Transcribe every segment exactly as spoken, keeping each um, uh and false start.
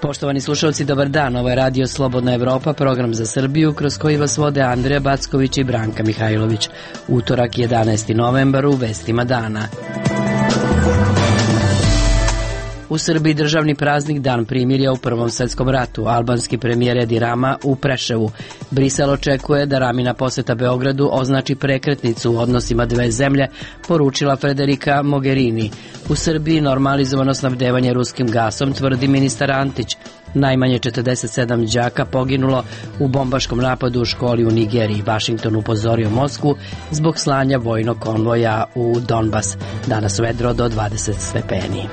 Poštovani slušalci, dobar dan. Ovo je Radio Slobodna Evropa, program za Srbiju, kroz koji vas vode Andreja Backović i Branka Mihajlović. Utorak, jedanaesti novembar, u vestima dana. U Srbiji državni praznik Dan primirja u Prvom svetskom ratu. Albanski premijer Edi Rama u Preševu. Brisel očekuje da Ramina poseta Beogradu označi prekretnicu u odnosima dve zemlje, poručila Federica Mogherini. U Srbiji normalizovano snabdevanje ruskim gasom, tvrdi ministar Antić. Najmanje četrdeset sedam đaka poginulo u bombaškom napadu u školi u Nigeriji. Vašington upozorio Moskvu zbog slanja vojnog konvoja u Donbas. Danas vedro do dvadeset stepeni.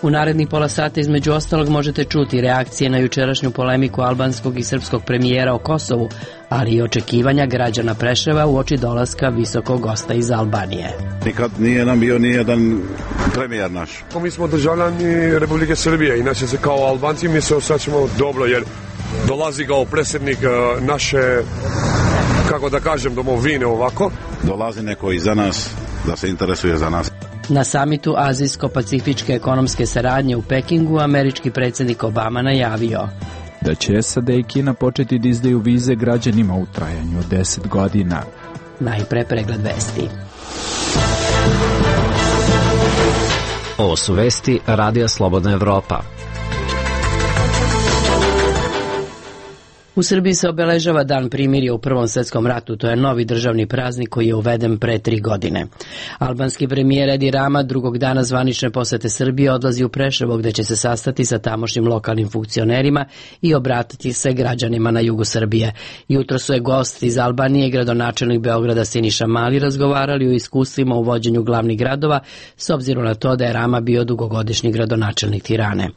U narednih pola sata između ostalog možete čuti reakcije na jučerašnju polemiku albanskog i srpskog premijera o Kosovu, ali i očekivanja građana Preševa uoči dolaska visokog gosta iz Albanije. Nikad nije nam bio nijedan premijer naš. Mi smo državljani Republike Srbije, inače se kao Albanci mi se osjećamo dobro jer dolazi kao predsjednik naše, kako da kažem, domovine ovako. Dolazi neko iza nas da se interesuje za nas. Na samitu Azijsko-pacifičke ekonomske saradnje u Pekingu američki predsjednik Obama najavio da će S A D i Kina početi da izdaju vize građanima u trajanju od deset godina. Najpre pregled vesti. Ovo su vesti Radija Slobodna Evropa. U Srbiji se obeležava Dan primirja u Prvom svetskom ratu. To je novi državni praznik koji je uveden pre tri godine. Albanski premijer Edi Rama drugog dana zvanične posete Srbije odlazi u Preševo, gde će se sastati sa tamošnjim lokalnim funkcionerima i obratiti se građanima na jugu Srbije. Jutro su je gosti iz Albanije i gradonačelnik Beograda Siniša Mali razgovarali o iskustvima u vođenju glavnih gradova, s obzirom na to da je Rama bio dugogodišnji gradonačelnik Tirane.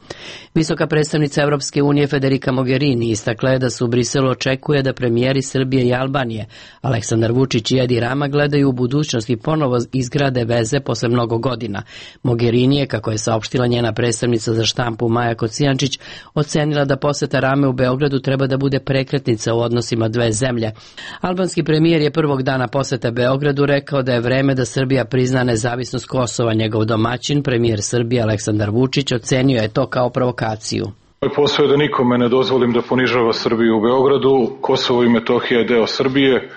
Visoka predstavnica Evropske unije Federica Mogherini istakla je da su u Briselu očekuje da premijeri Srbije i Albanije Aleksandar Vučić i Edi Rama gledaju u budućnost i ponovo izgrade veze posle mnogo godina. Mogherini je, kako je saopštila njena predstavnica za štampu Maja Kocijančić, ocenila da poseta Rame u Beogradu treba da bude prekretnica u odnosima dve zemlje. Albanski premijer je prvog dana posete Beogradu rekao da je vreme da Srbija prizna nezavisnost Kosova. Njegov domaćin, premijer Srbije Aleksandar Vučić, ocenio je to kao provokaciju. Moj posao je da nikome ne dozvolim da ponižava Srbiju u Beogradu. Kosovo i Metohija je deo Srbije.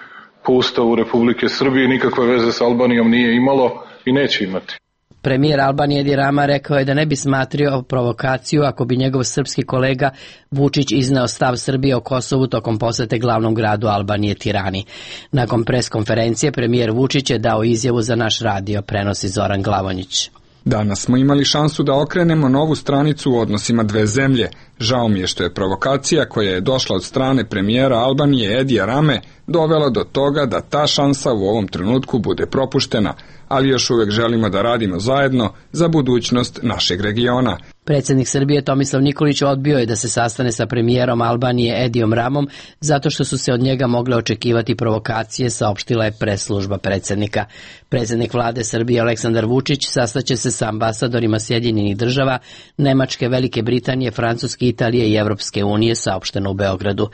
Po Ustavu Republike Srbije nikakve veze s Albanijom nije imalo i neće imati. Premijer Albanije Edi Rama rekao je da ne bi smatrio provokaciju ako bi njegov srpski kolega Vučić izneo stav Srbije o Kosovu tokom posete glavnom gradu Albanije Tirani. Nakon pres konferencije premijer Vučić je dao izjavu za naš radio, prenosi Zoran Glavonjić. Danas smo imali šansu da okrenemo novu stranicu u odnosima dve zemlje. Žao mi je što je provokacija koja je došla od strane premijera Albanije Edija Rame dovela do toga da ta šansa u ovom trenutku bude propuštena, ali još uvek želimo da radimo zajedno za budućnost našeg regiona. Predsjednik Srbije Tomislav Nikolić odbio je da se sastane sa premijerom Albanije Edijom Ramom zato što su se od njega mogle očekivati provokacije, saopštila je press-služba predsjednika. Predsjednik vlade Srbije Aleksandar Vučić sastaće se sa ambasadorima Sjedinjenih država, Nemačke, Velike Britanije, Francuske, Italije i Evropske unije, saopšteno u Beogradu.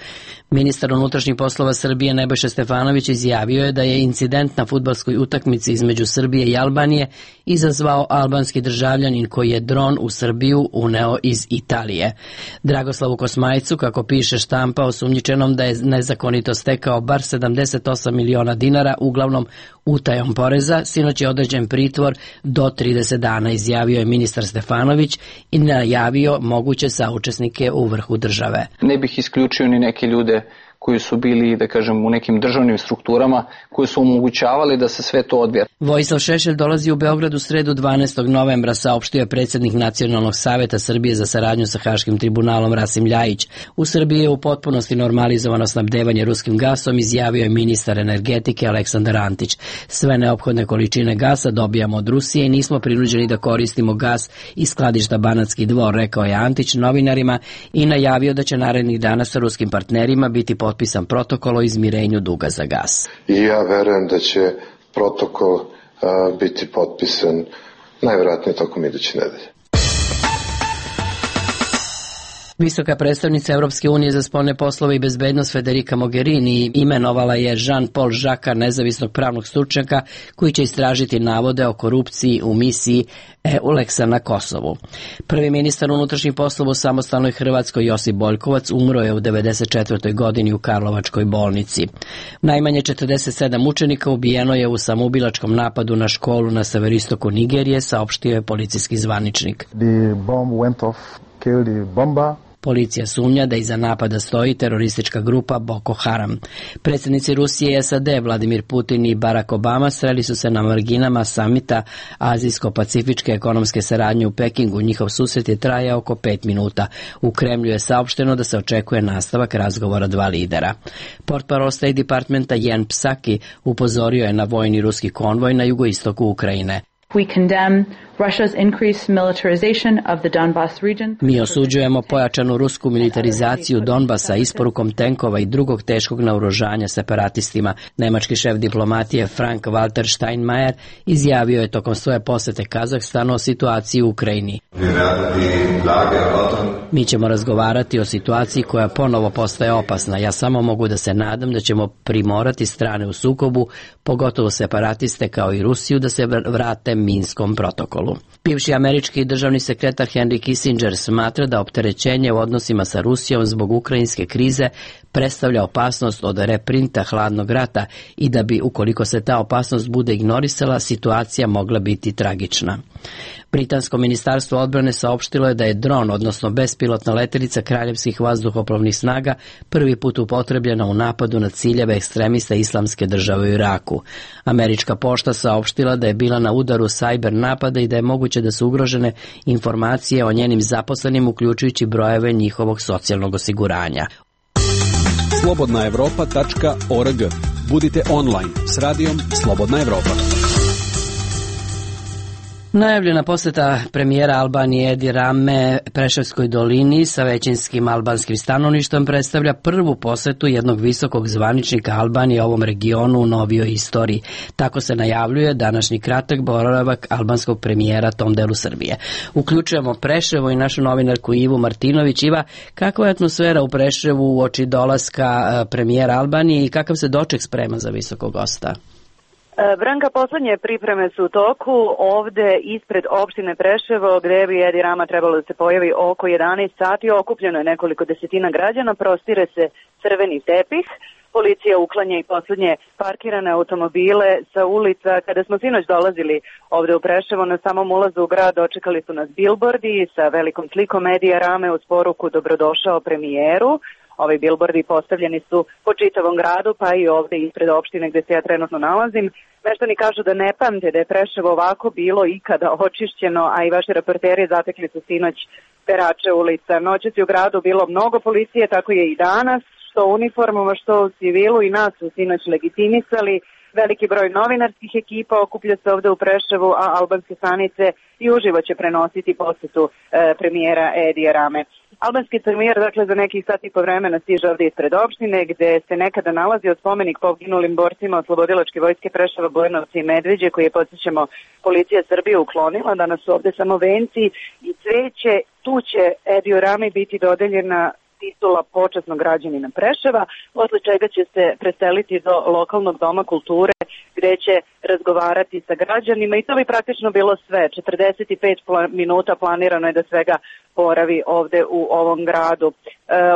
Ministar unutrašnjih poslova Srbije Nebojša Stefanović izjavio je da je incident na fudbalskoj utakmici između Srbije i Albanije izazvao albanski državljanin koji je dron u Srbiju uneo iz Italije. Dragoslavu Kosmajcu, kako piše štampa, osumnjičenom da je nezakonito stekao bar sedamdeset osam miliona dinara, uglavnom utajom poreza, sinoć je određen pritvor do trideset dana, izjavio je ministar Stefanović i najavio moguće saučesnike u vrhu države. Ne bih isključio ni neke ljude koji su bili, da kažem, u nekim državnim strukturama koji su omogućavali da se sve to odvija. Vojislav Šešelj dolazi u Beograd u sredu dvanaestog novembra, saopštio je predsjednik Nacionalnog saveta Srbije za saradnju sa Haškim tribunalom Rasim Ljajić. U Srbiji je u potpunosti normalizovano snabdevanje ruskim gasom, izjavio je ministar energetike Aleksandar Antić. Sve neophodne količine gasa dobijamo od Rusije i nismo prinuđeni da koristimo gas iz skladišta Banatski Dvor, rekao je Antić novinarima i najavio da će narednih dana sa ruskim partnerima biti potpisan protokol o izmirenju duga za gas. I ja verujem da će protokol a, biti potpisan najvjerojatnije tokom iduće nedelje. Visoka predstavnica Europske unije za spoljne poslove i bezbednost Federica Mogherini imenovala je Jean-Paul Jacques'a, nezavisnog pravnog stručnjaka koji će istražiti navode o korupciji u misiji EULEX-a na Kosovu. Prvi ministar unutrašnjih poslova u samostalnoj Hrvatskoj Josip Boljkovac umro je u devedeset četvrtoj godini u Karlovačkoj bolnici. Najmanje četrdeset sedam učenika ubijeno je u samoubilačkom napadu na školu na severistoku Nigerije, saopštio je policijski zvaničnik. The bomb went off, killed the bomber. Policija sumnja da iza napada stoji teroristička grupa Boko Haram. Predsjednici Rusije i S A D Vladimir Putin i Barack Obama sreli su se na marginama samita Azijsko-pacifičke ekonomske saradnje u Pekingu. Njihov susret je trajao oko pet minuta. U Kremlju je saopšteno da se očekuje nastavak razgovora dva lidera. Portparol State Departmenta Jen Psaki upozorio je na vojni ruski konvoj na jugoistoku Ukrajine. We condemn Russia's increased militarization of the Donbas region. Mi osuđujemo pojačanu rusku militarizaciju Donbasa isporukom tenkova i drugog teškog naoružanja separatistima. Nemački šef diplomatije Frank Walter Steinmeier izjavio je tokom svoje posete Kazahstanu o situaciji u Ukrajini. Mi ćemo razgovarati o situaciji koja ponovo postaje opasna. Ja samo mogu da se nadam da ćemo primorati strane u sukobu, pogotovo separatiste kao i Rusiju, da se vrate Minskom protokolu. Bivši američki državni sekretar Henry Kissinger smatra da opterećenje u odnosima sa Rusijom zbog ukrajinske krize predstavlja opasnost od reprinta hladnog rata i da bi, ukoliko se ta opasnost bude ignorisala, situacija mogla biti tragična. Britansko ministarstvo odbrane saopštilo je da je dron, odnosno bespilotna letelica kraljevskih vazduhoplovnih snaga, prvi put upotrebljena u napadu na ciljeve ekstremista Islamske države u Iraku. Američka pošta saopštila da je bila na udaru cyber napada i da je moguće da su ugrožene informacije o njenim zaposlenim, uključujući brojeve njihovog socijalnog osiguranja. slobodna evropa tačka org. Budite online s radijom Slobodna Evropa. Najavljena poseta premijera Albanije Edi Rame Preševskoj dolini sa većinskim albanskim stanovništvom predstavlja prvu posetu jednog visokog zvaničnika Albanije ovom regionu u novijoj istoriji. Tako se najavljuje današnji kratak boravak albanskog premijera tom delu Srbije. Uključujemo Preševo i našu novinarku Ivu Martinović. Iva, kakva je atmosfera u Preševu uoči dolaska premijera Albanije i kakav se doček sprema za visokog gosta? Branka, poslednje pripreme su u toku ovde ispred opštine Preševo, gde bi Edi Rama trebalo da se pojavi oko jedanaest sati. Okupljeno je nekoliko desetina građana, prostire se crveni tepih. Policija uklanja i poslednje parkirane automobile sa ulica. Kada smo sinoć dolazili ovde u Preševo, na samom ulazu u grad očekali su nas bilbordi sa velikom slikom Edija Rame uz poruku "Dobrodošao premijeru". Ovi bilbordi postavljeni su po čitavom gradu, pa i ovde ispred opštine gde se ja trenutno nalazim. Meštani kažu da ne pamte da je Preševo ovako bilo ikada očišćeno, a i vaši reporteri zatekli su sinoć perače ulica. Noćas je u gradu bilo mnogo policije, tako je i danas, što u uniformama, što u civilu, i nas su sinoć legitimisali. Veliki broj novinarskih ekipa okuplja se ovde u Preševu, a albanske stanice i uživo će prenositi posetu e, premijera Edija Rame. Albanski premijer, dakle, za nekih sat i po vremena stiže ovde ispred opštine, gde se nekada nalazio spomenik poginulim borcima oslobodilačke vojske Preševa, Bujanovca i Medveđe, koji je, podsjećamo, policija Srbije uklonila. Danas su ovde samo venci i cveće. Tu će Ediju Rami biti dodeljena titula počasnog građanina Preševa, posle čega će se preseliti do lokalnog doma kulture, gde će razgovarati sa građanima, i to bi praktično bilo sve. četrdeset pet minuta planirano je da svega boravi ovde u ovom gradu. E,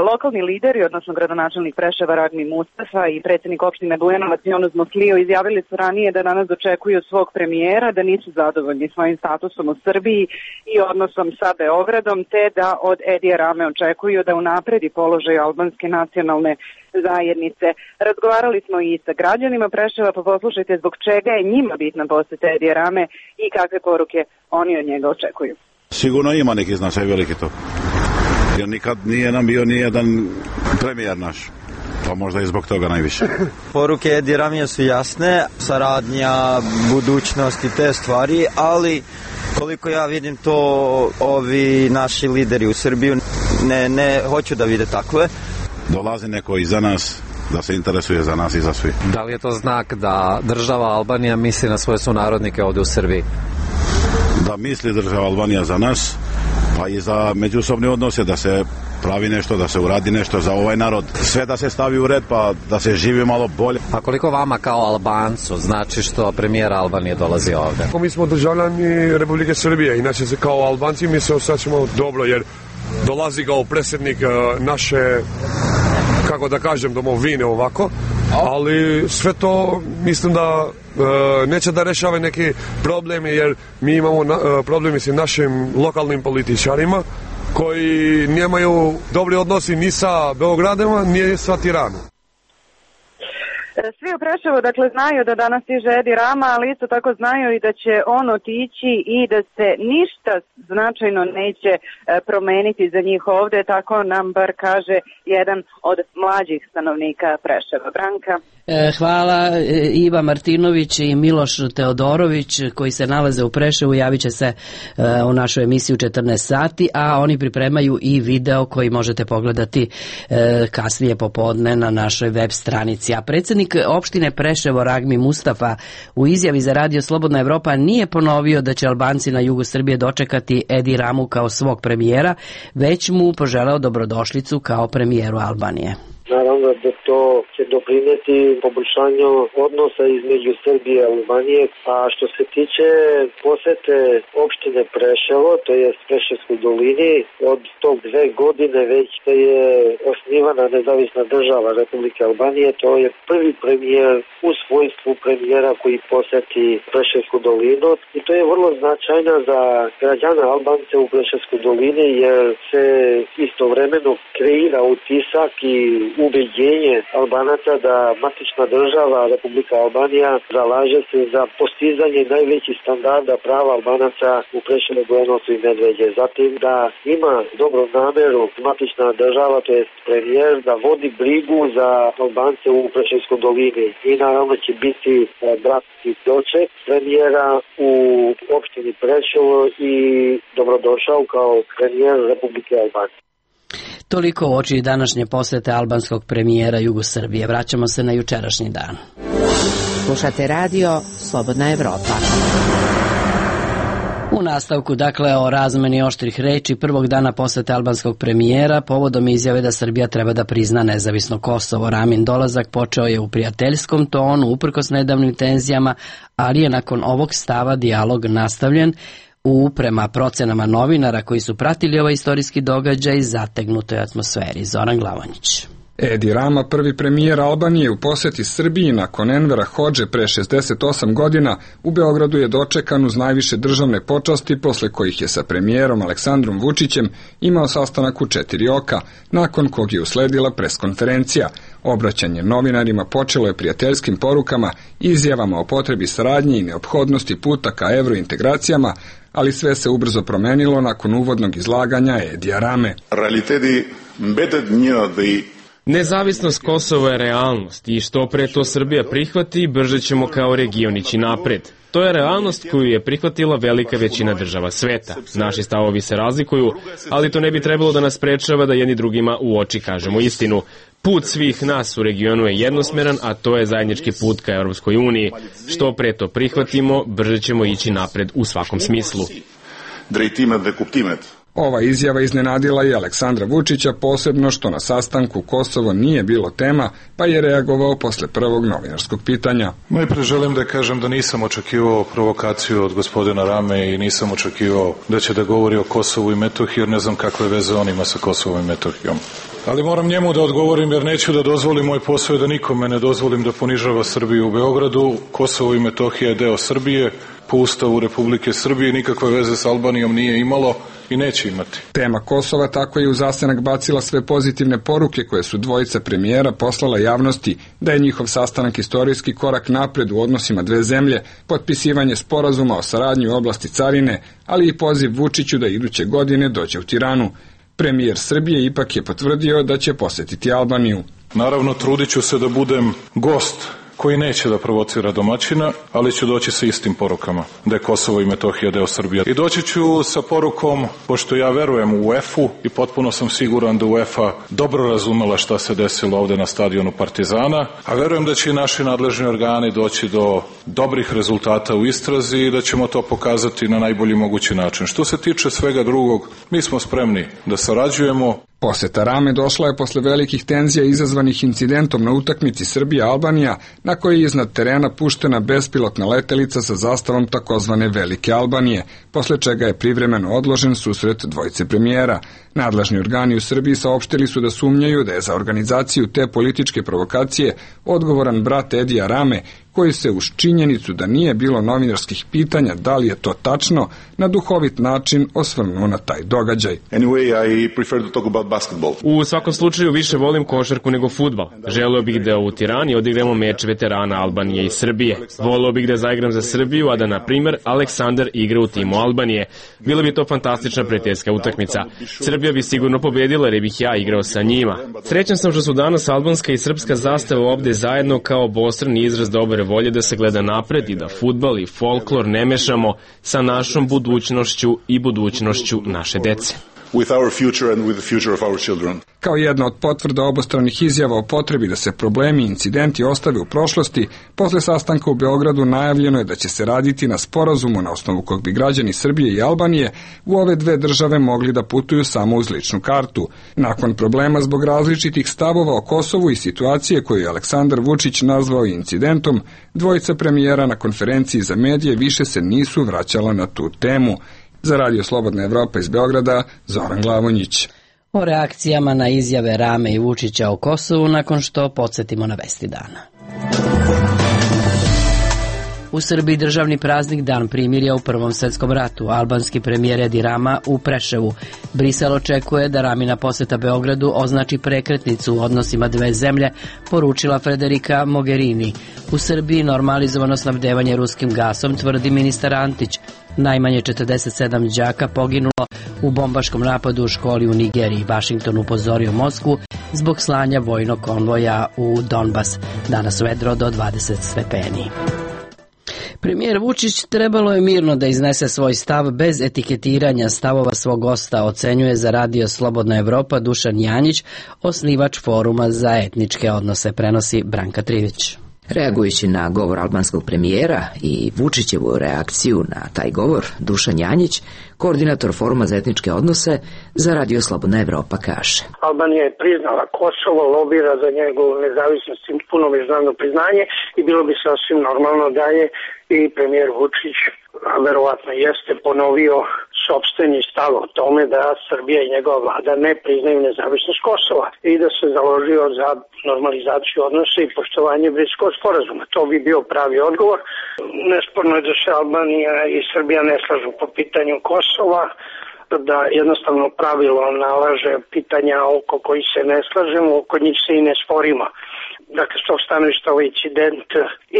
lokalni lideri, odnosno gradonačelnik Preševa Ragmi Mustafa i predsjednik opštine Bujanovac Jonuz Moslio izjavili su ranije da danas dočekuju svog premijera, da nisu zadovoljni svojim statusom u Srbiji i odnosom sa Beogradom, te da od Edija Rame očekuju da unapredi položaj albanske nacionalne zajednice. Razgovarali smo i sa građanima Preševa, pa poslušajte zbog čega je njima bitna poseta Edija Rame i kakve poruke oni od njega očekuju. Sigurno ima neki značaj veliki to. Jer nikad nije nam bio nijedan premijer naš. Pa možda i zbog toga najviše. Poruke Edi Ramija su jasne, saradnja, budućnost i te stvari, ali koliko ja vidim to, ovi naši lideri u Srbiju ne, ne hoću da vide takve. Dolazi neko iza nas da se interesuje za nas i za svi. Da li je to znak da država Albanija misli na svoje sunarodnike ovde u Srbiji? Da misli država Albanija za nas, pa i za međusobne odnose, da se pravi nešto, da se uradi nešto za ovaj narod. Sve da se stavi u red pa da se živi malo bolje. A koliko vama kao Albancu znači što premijer Albanije dolazi ovde? Mi smo državljani Republike Srbije, inače se kao Albanci mi se osjećamo dobro jer dolazi kao predsjednik naše, kako da kažem, domovine ovako, ali sve to mislim da e, neće da rešava neki problemi jer mi imamo na, e, problemi sa našim lokalnim političarima koji nemaju dobri odnosi ni sa Beogradom, ni sa Tiranom. Svi u Preševu, dakle, znaju da danas stiže Edi Rama, ali isto tako znaju i da će on otići i da se ništa značajno neće promeniti za njih ovde, tako nam bar kaže jedan od mlađih stanovnika Preševa. Branka? Hvala. Iva Martinović i Miloš Teodorović koji se nalaze u Preševu javit će se u našu emisiju četrnaest sati, a oni pripremaju i video koji možete pogledati kasnije popodne na našoj web stranici. A predsjednik opštine Preševo Ragmi Mustafa u izjavi za Radio Slobodna Evropa nije ponovio da će Albanci na jugu Srbije dočekati Edi Ramu kao svog premijera, već mu poželeo dobrodošlicu kao premijeru Albanije. Naravno da to će doprineti poboljšanju odnosa između Srbije i Albanije, a što se tiče posete opštine Preševo, to je Preševskoj dolini, od tog dve godine već da je osnivana nezavisna država Republike Albanije, to je prvi premijer u svojstvu premijera koji poseti Preševsku dolinu i to je vrlo značajno za građana Albance u Preševskoj dolini jer se istovremeno kreira utisak i ubeđenje Albanaca da matična država Republika Albanija zalaže se za postizanje najvećih standarda prava Albanaca u Preševu, Bujanovcu i Medveđe. Zatim da ima dobro nameru matična država, to je premijer, da vodi brigu za Albance u Preševskoj dolini i naravno će biti bratski doček premijera u opštini Preševo i dobrodošao kao premijer Republike Albanije. Toliko u oči današnje posete albanskog premijera jugu Srbije. Vraćamo se na jučerašnji dan. Slušate radio Slobodna Evropa. U nastavku, dakle, o razmeni oštrih reči prvog dana posete albanskog premijera povodom izjave da Srbija treba da prizna nezavisno Kosovo. Ramin dolazak počeo je u prijateljskom tonu, uprkos nedavnim tenzijama, ali je nakon ovog stava dijalog nastavljen u, prema procenama novinara koji su pratili ovaj istorijski događaj, zategnutoj atmosferi. Zoran Glavonjić. Edi Rama, prvi premijer Albanije u poseti Srbiji nakon Envera Hodže pre šezdeset osam godina, u Beogradu je dočekan uz najviše državne počasti, posle kojih je sa premijerom Aleksandrom Vučićem imao sastanak u četiri oka, nakon kog je usledila preskonferencija. Obraćanje novinarima počelo je prijateljskim porukama, izjavama o potrebi saradnje i neophodnosti puta ka evrointegracijama, ali sve se ubrzo promenilo nakon uvodnog izlaganja Edija Rame. Realiteti mbetet një dhe Nezavisnost Kosova je realnost i što pre to Srbija prihvati, brže ćemo kao region ići napred. To je realnost koju je prihvatila velika većina država sveta. Naši stavovi se razlikuju, ali to ne bi trebalo da nas sprečava da jedni drugima u oči kažemo istinu. Put svih nas u regionu je jednosmeran, a to je zajednički put ka Europskoj uniji. Što pre to prihvatimo, brže ćemo ići napred u svakom smislu. Drejtimet dhe kuptimet. Ova izjava iznenadila je Aleksandra Vučića, posebno što na sastanku Kosovo nije bilo tema, pa je reagovao posle prvog novinarskog pitanja. Najpre želim da kažem da nisam očekivao provokaciju od gospodina Rame i nisam očekivao da će da govori o Kosovu i Metohiji, jer ne znam kakve veze on ima sa Kosovom i Metohijom. Ali moram njemu da odgovorim jer neću da dozvolim, moj posao je da nikome ne dozvolim da ponižava Srbiju u Beogradu. Kosovo i Metohija je deo Srbije, po Ustavu Republike Srbije, nikakve veze s Albanijom nije imalo i neće imati. Tema Kosova tako je u zasenak bacila sve pozitivne poruke koje su dvojica premijera poslala javnosti, da je njihov sastanak istorijski korak napred u odnosima dve zemlje, potpisivanje sporazuma o saradnji u oblasti carine, ali i poziv Vučiću da iduće godine dođe u Tiranu. Premijer Srbije ipak je potvrdio da će posetiti Albaniju. Naravno, trudit ću se da budem gost koji neće da provocira domaćina, ali ću doći sa istim porukama, da je Kosovo i Metohija deo Srbije. I doći ću sa porukom, pošto ja verujem u UEFA i potpuno sam siguran da UEFA dobro razumela šta se desilo ovde na stadionu Partizana, a verujem da će i naši nadležni organi doći do dobrih rezultata u istrazi i da ćemo to pokazati na najbolji mogući način. Što se tiče svega drugog, mi smo spremni da sarađujemo. Poseta Rame došla je posle velikih tenzija izazvanih incidentom na utakmici Srbija-Albanija, na kojoj je iznad terena puštena bespilotna letelica sa zastavom takozvane Velike Albanije, posle čega je privremeno odložen susret dvojice premijera. Nadležni organi u Srbiji saopštili su da sumnjaju da je za organizaciju te političke provokacije odgovoran brat Edija Rame, koji se uz činjenicu da nije bilo novinarskih pitanja da li je to tačno, na duhovit način osvrnuo na taj događaj. Anyway, I prefer to talk about basketball. U svakom slučaju više volim košarku nego fudbal. Želeo bih da u Tirani odigramo meč veterana Albanije i Srbije. Voleo bih da zaigram za Srbiju, a da, na primer, Aleksandar igra u timu Albanije. Bila bi to fantastična prijateljska utakmica. Srbija bi sigurno pobedila jer bih ja igrao sa njima. Srećan sam što su danas albanska i srpska zastava ovde zajedno kao obostrani izraz dobre volje da se gleda napred i da fudbal i folklor ne mešamo sa našom budućnošću i budućnošću naše dece. With our future and with the future of our children. Kao jedna od potvrda obostranih izjava o potrebi da se problemi i incidenti ostave u prošlosti, posle sastanka u Beogradu najavljeno je da će se raditi na sporazumu na osnovu kog bi građani Srbije i Albanije u ove dve države mogli da putuju samo uz ličnu kartu. Nakon problema zbog različitih stavova o Kosovu i situacije koju je Aleksandar Vučić nazvao incidentom, dvojica premijera na konferenciji za medije više se nisu vraćala na tu temu. Za Radio Slobodna Evropa iz Beograda, Zoran Glavonjić. O reakcijama na izjave Rame i Vučića o Kosovu nakon što podsjetimo na vesti dana. U Srbiji državni praznik Dan primirja u Prvom svetskom ratu. Albanski premijer Edi Rama u Preševu. Brisel očekuje da Ramina poseta Beogradu označi prekretnicu u odnosima dve zemlje, poručila Federica Mogherini. U Srbiji normalizovano snabdevanje ruskim gasom, tvrdi ministar Antić. Najmanje četrdeset sedam đaka poginulo u bombaškom napadu u školi u Nigeriji. Vašington upozorio Moskvu zbog slanja vojnog konvoja u Donbas. Danas vedro do dvadeset stepeni. Premijer Vučić trebalo je mirno da iznese svoj stav bez etiketiranja stavova svog gosta, ocenjuje za Radio Slobodna Evropa Dušan Janjić, osnivač Foruma za etničke odnose, prenosi Branka Trivić. Reagujući na govor albanskog premijera i Vučićevu reakciju na taj govor, Dušan Janjić, koordinator Foruma za etničke odnose, za Radio Slobodna Evropa kaže: Albanija je priznala Kosovo, lobira za njegovu nezavisnost i puno međunarodno priznanje i bilo bi sasvim normalno da je i premijer Vučić, a verovatno jeste, ponovio sopstveni stav o tome da Srbija i njegova vlada ne priznaju nezavisnost Kosova i da se založio za normalizaciju odnosa i poštovanje Briselskog sporazuma. To bi bio pravi odgovor. Nesporno je da se Albanija i Srbija ne slažu po pitanju Kosova, da jednostavno pravilo nalaže pitanja oko koji se ne slažemo, oko njih se i ne sporimo. Dakle, s tog stanovišta ovaj incident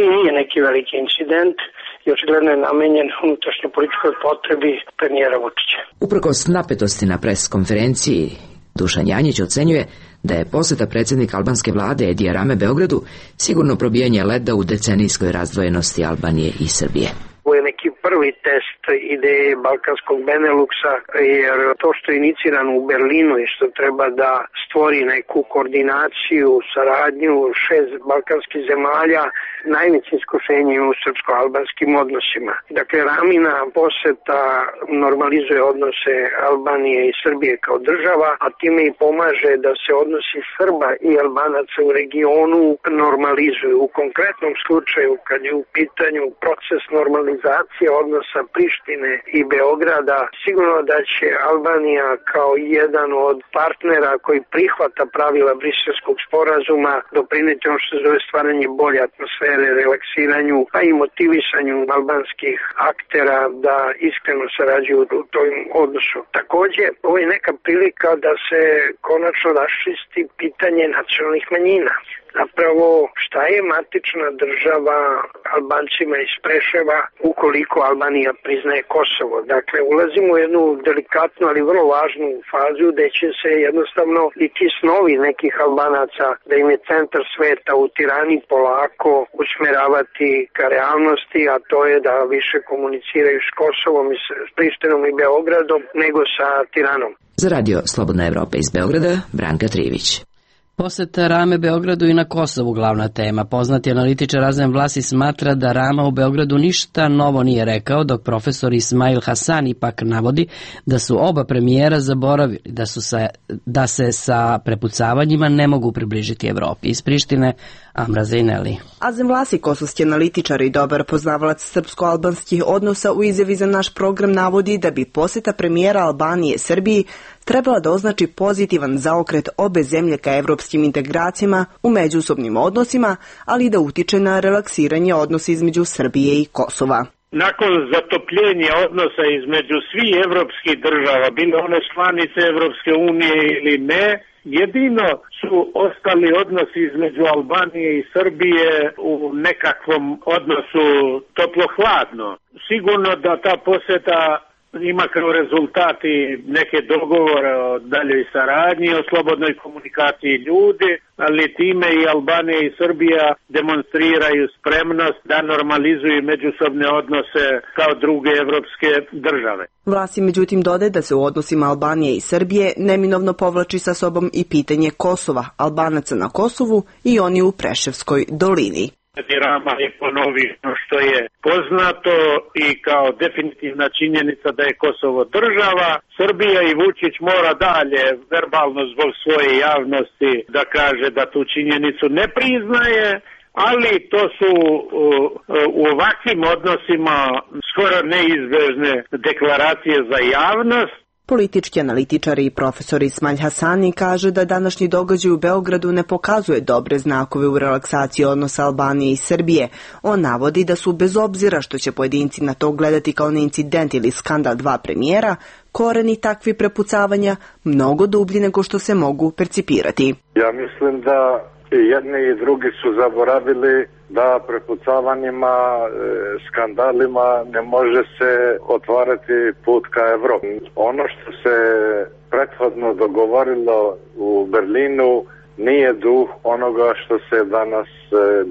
i nije neki veliki incident i očigledno je namenjen unutrašnjoj političkoj potrebi premijera Vučića. Uprkos napetosti na pres konferenciji, Dušan Janjić ocenjuje da je poseta predsjednika albanske vlade Edija Rame Beogradu sigurno probijanje leda u decenijskoj razdvojenosti Albanije i Srbije. Ovo je neki prvi test ideje balkanskog Beneluksa, jer to što je inicirano u Berlinu i što treba da stvori neku koordinaciju, saradnju šest balkanskih zemalja, najveće iskušenje u srpsko-albanskim odnosima. Dakle, Ramina poseta normalizuje odnose Albanije i Srbije kao država, a time i pomaže da se odnosi Srba i Albanaca u regionu normalizuju. U konkretnom slučaju, kad je u pitanju proces normalizacije odnosa Prištine i Beograda, sigurno da će Albanija kao jedan od partnera koji prihvata pravila Briselskog sporazuma doprineti ono što se zove stvaranje bolje atmosfere, relaksiranju, pa i motivisanju albanskih aktera da iskreno sarađuju u tom odnosu. Takođe, ovo je neka prilika da se konačno raščisti pitanje nacionalnih manjina. Zapravo, šta je matična država Albancima iz Preševa ukoliko Albanija priznaje Kosovo? Dakle, ulazimo u jednu delikatnu, ali vrlo važnu fazu gde će se jednostavno i ti snovi nekih Albanaca da im je centar sveta u Tirani polako usmeravati ka realnosti, a to je da više komuniciraju s Kosovom i s Prištinom i Beogradom nego sa Tiranom. Za Radio Slobodna Evropa iz Beograda, Branka Trivić. Poseta Rame Beogradu i na Kosovu glavna tema. Poznati analitičar Razem Vlasi smatra da Rama u Beogradu ništa novo nije rekao, dok profesor Ismail Hasan ipak navodi da su oba premijera zaboravili da, su sa, da se sa prepucavanjima ne mogu približiti Evropi. Iz Prištine, Amra Zejneli. Azem Vlasi, kosovski analitičar i dobar poznavalac srpsko-albanskih odnosa, u izjavi za naš program navodi da bi poseta premijera Albanije Srbiji trebala da označi pozitivan zaokret obe zemlje ka evropskim integracijama u međusobnim odnosima, ali i da utiče na relaksiranje odnosa između Srbije i Kosova. Nakon zatopljenja odnosa između svih evropskih država, bile one članice Evropske unije ili ne, jedino su ostali odnosi između Albanije i Srbije u nekakvom odnosu toplo-hladno. Sigurno da ta poseta ima kao rezultati neke dogovore o daljoj saradnji, o slobodnoj komunikaciji ljudi, ali time i Albanija i Srbija demonstriraju spremnost da normalizuju međusobne odnose kao druge evropske države. Vlasi međutim dodaje da se u odnosima Albanije i Srbije neminovno povlači sa sobom i pitanje Kosova, Albanaca na Kosovu i oni u Preševskoj dolini. Rama je ponovio što je poznato i kao definitivna činjenica da je Kosovo država. Srbija i Vučić mora dalje verbalno zbog svoje javnosti da kaže da tu činjenicu ne priznaje, ali to su u, u ovakvim odnosima skoro neizbežne deklaracije za javnost. Politički analitičar i profesor Ismail Hasani kaže da današnji događaj u Beogradu ne pokazuje dobre znakove u relaksaciji odnosa Albanije i Srbije. On navodi da su, bez obzira što će pojedinci na to gledati kao na incident ili skandal dva premijera, koreni takvi prepucavanja mnogo dublji nego što se mogu percipirati. Ja mislim da jedni i drugi su zaboravili da prepucavanjima, skandalima ne može se otvarati put ka Evropi. Ono što se prethodno dogovorilo u Berlinu nije duh onoga što se danas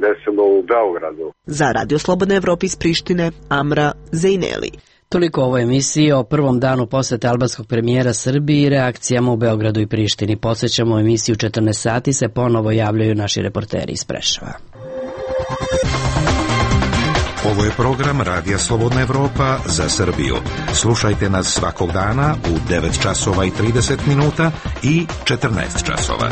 desilo u Beogradu. Za Radio Slobodna Evropa iz Prištine, Amra Zejneli. Toliko o ovoj emisiji o prvom danu posete albanskog premijera Srbiji i reakcijama u Beogradu i Prištini. Podsećamo, u emisiju četrnaest sati se ponovo javljaju naši reporteri iz Preševa. Ovo je program Radija Slobodna Evropa za Srbiju. Slušajte nas svakog dana u devet časova i trideset minuta i četrnaest časova.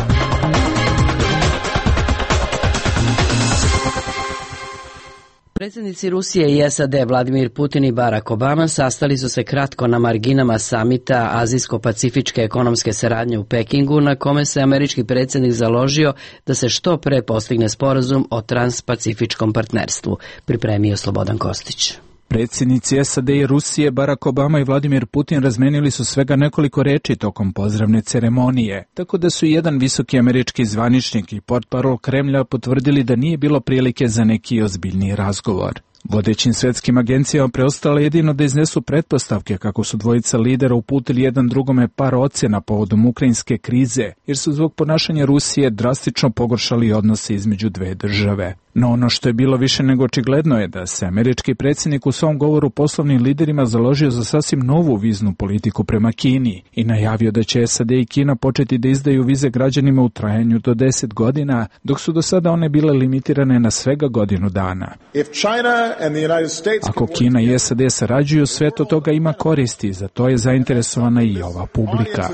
Predsjednici Rusije i S A D Vladimir Putin i Barack Obama sastali su se kratko na marginama samita Azijsko-pacifičke ekonomske saradnje u Pekingu, na kome se američki predsjednik založio da se što pre postigne sporazum o transpacifičkom partnerstvu. Pripremio Slobodan Kostić. Predsjednici S A D i Rusije Barack Obama i Vladimir Putin razmenili su svega nekoliko reči tokom pozdravne ceremonije, tako da su jedan visoki američki zvaničnik i portparol Kremlja potvrdili da nije bilo prilike za neki ozbiljniji razgovor. Vodećim svetskim agencijama preostalo jedino da iznesu pretpostavke kako su dvojica lidera uputili jedan drugome par ocjena povodom ukrajinske krize, jer su zbog ponašanja Rusije drastično pogoršali odnose između dve države. No ono što je bilo više nego očigledno je da se američki predsjednik u svom govoru poslovnim liderima založio za sasvim novu viznu politiku prema Kini i najavio da će S A D i Kina početi da izdaju vize građanima u trajanju do deset godina, dok su do sada one bile limitirane na svega godinu dana. Ako Kina i S A D sarađuju, sve to toga ima koristi, za to je zainteresovana i ova publika.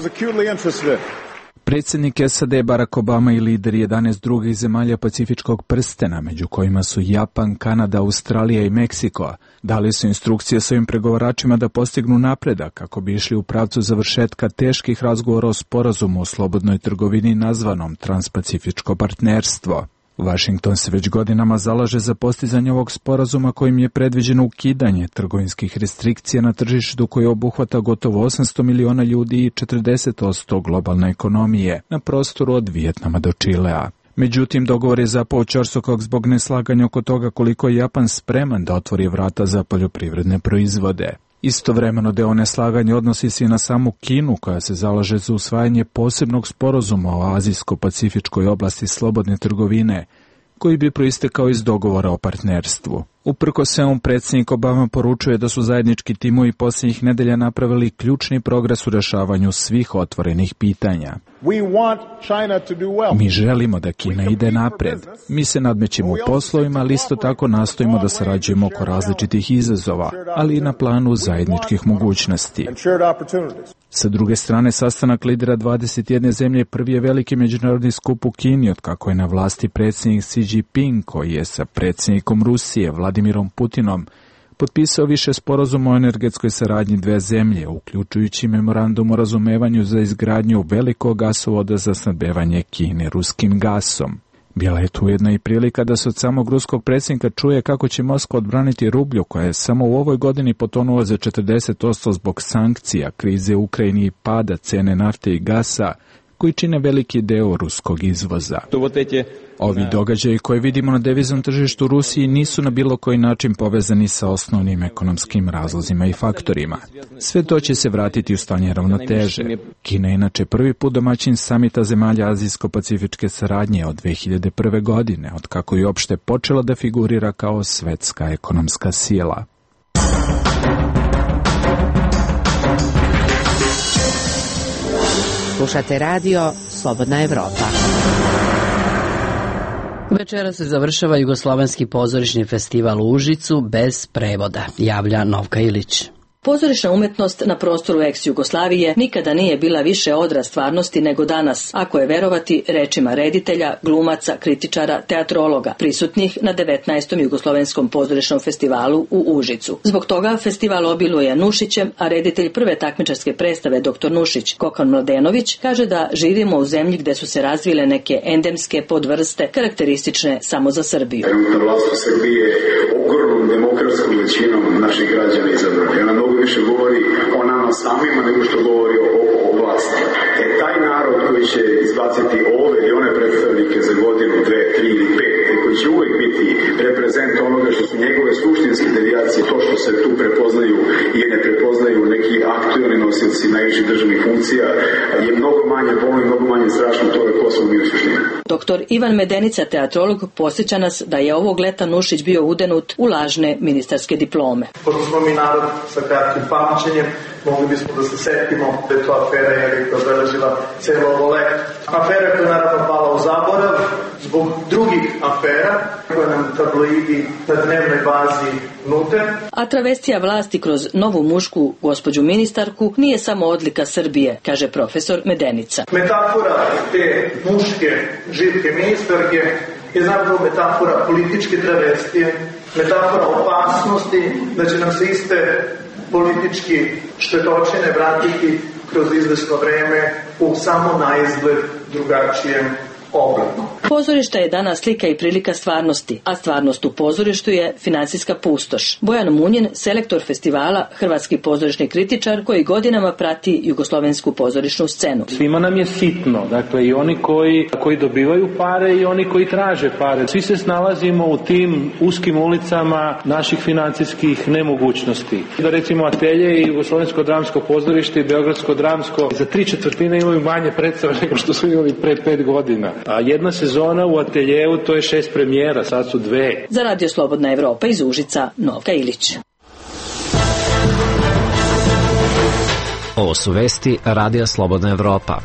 Predsjednik S A D Barack Obama i lideri jedanaest drugih zemalja Pacifičkog prstena, među kojima su Japan, Kanada, Australija i Meksiko, dali su instrukcije svojim pregovaračima da postignu napredak kako bi išli u pravcu završetka teških razgovora o sporazumu o slobodnoj trgovini nazvanom Transpacifičko partnerstvo. Washington se već godinama zalaže za postizanje ovog sporazuma kojim je predviđeno ukidanje trgovinskih restrikcija na tržištu koje obuhvata gotovo osamsto miliona ljudi i četrdeset posto globalne ekonomije na prostoru od Vijetnama do Čilea. Međutim, dogovor je zapao ćorsokog zbog neslaganja oko toga koliko je Japan spreman da otvori vrata za poljoprivredne proizvode. Istovremeno deo neslaganja odnosi se i na samu Kinu, koja se zalaže za usvajanje posebnog sporazuma o azijsko-pacifičkoj oblasti slobodne trgovine, koji bi proistekao iz dogovora o partnerstvu. Uprkos svemu, predsjednik Obama poručuje da su zajednički timovi posljednjih nedelja napravili ključni progres u rešavanju svih otvorenih pitanja. Mi želimo da Kina ide napred. Mi se nadmećemo u poslovima, ali isto tako nastojimo da sarađujemo oko različitih izazova, ali i na planu zajedničkih mogućnosti. Sa druge strane, sastanak lidera dvadeset jedne zemlje prvi je veliki međunarodni skup u Kini od kako je na vlasti predsjednik Xi Jinping, koji je sa predsjednikom Rusije Vladimirom Putinom potpisao više sporazuma o energetskoj saradnji dve zemlje, uključujući memorandum o razumevanju za izgradnju velikog gasovoda za snabdevanje Kine ruskim gasom. Bila je tu jedna i prilika da se od samog ruskog predsjednika čuje kako će Moskva odbraniti rublju, koja je samo u ovoj godini potonula za četrdeset posto zbog sankcija, krize u Ukrajini i pada cene nafte i gasa, koji čine veliki deo ruskog izvoza. Ovi događaji koje vidimo na deviznom tržištu Rusiji nisu na bilo koji način povezani sa osnovnim ekonomskim razlozima i faktorima. Sve to će se vratiti u stanje ravnoteže. Kina je inače prvi put domaćin samita zemalja azijsko-pacifičke saradnje od dve hiljade prve. godine, od kako je uopšte počela da figurira kao svetska ekonomska sila. Slušate radio Slobodna Evropa. Večera se završava Jugoslovenski pozorišni festival u Užicu bez prevoda, javlja Novka Ilić. Pozorišna umetnost na prostoru ex-Jugoslavije nikada nije bila više odraz stvarnosti nego danas, ako je verovati rečima reditelja, glumaca, kritičara, teatrologa, prisutnih na devetnaestom Jugoslovenskom pozorišnom festivalu u Užicu. Zbog toga festival obiluje Nušićem, a reditelj prve takmičarske predstave doktor Nušić, Kokan Mladenović, kaže da živimo u zemlji gde su se razvile neke endemske podvrste karakteristične samo za Srbiju. Vlast u Srbiji je ogromnom demokratskom većinom naših građana izabrana. Ona mnogo više govori o nama samima nego što govori o, o vlasti. E taj narod koji će izbaciti ove ili one predstavnike za godinu, dve, tri ili pet, i koji će uvek biti reprezent onoga što su njegove suštinske devijacije, to što se tu prepoznaju i ne prepoznaju neki aktualni nosioci najviših državnih funkcija, je mnogo manje bolno i mnogo manje strašno toga ko smo mi u suštini. Doktor Ivan Medenica, teatrolog, posjeća nas da je ovog leta Nušić bio udenut u lažne ministarske diplome. Pošto smo mi narod sa kratkim pamćenjem, mogli bismo da se setimo da je to afera jer je obeležila celo ovo leto. Afera koja je naravno pala u zaborav zbog drugih afera koje nam tabloidi na dnevnoj bazi nude. A travestija vlasti kroz novu mušku gospođu ministarku nije samo odlika Srbije, kaže profesor Medenica. Metafora te muške živke ministarke je zapravo metafora političke travestije, metafora opasnosti da će nam se iste politički štetočine vratiti kroz izvesno vreme u samo naizgled drugačijem obliku. Pozorište je danas slika i prilika stvarnosti, a stvarnost u pozorištu je finansijska pustoš. Bojan Munjin, selektor festivala, hrvatski pozorišni kritičar koji godinama prati jugoslovensku pozorišnu scenu. Svima nam je sitno, dakle i oni koji, koji dobivaju pare i oni koji traže pare. Svi se snalazimo u tim uskim ulicama naših financijskih nemogućnosti. Da recimo Atelje i Jugoslovensko dramsko pozorište i Beogradsko dramsko za tri četvrtine imaju manje predstava nego što su imali pre pet godina. A jedna sezona u Ateljeu, to je šest premijera, sad su dve. Za Radio Slobodna Evropa iz Užica, Novka Ilić. Ovo su vesti Radija Slobodna Evropa.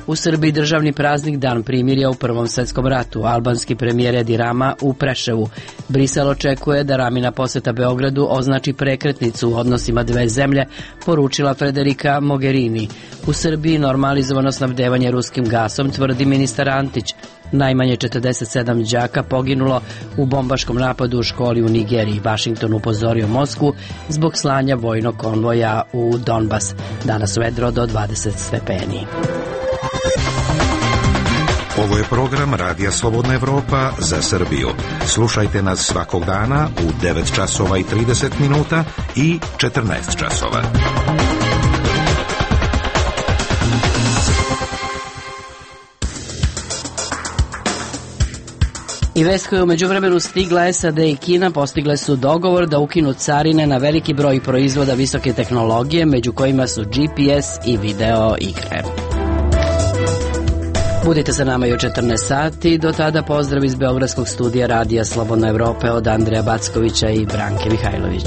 U Srbiji državni praznik Dan primirja u Prvom svetskom ratu. Albanski premijer Edi Rama u Preševu. Brisel očekuje da Ramina poseta Beogradu označi prekretnicu u odnosima dve zemlje, poručila Federica Mogherini. U Srbiji normalizovano snabdevanje ruskim gasom, tvrdi ministar Antić. Najmanje četrdeset sedam đaka poginulo u bombaškom napadu u školi u Nigeriji. Vašington upozorio Moskvu zbog slanja vojnog konvoja u Donbas. Danas vedro do dvadeset stepeni. Ovo je program Radija Slobodna Evropa za Srbiju. Slušajte nas svakog dana u devet časova i trideset minuta i četrnaest časova. I vest koja je u međuvremenu stigla, S A D i Kina postigle su dogovor da ukinu carine na veliki broj proizvoda visoke tehnologije, među kojima su G P S i video igre. Budite sa nama i u četrnaest sati, do tada pozdrav iz Beogradskog studija Radija Slobodna Evropa od Andreja Backovića i Branke Mihajlović.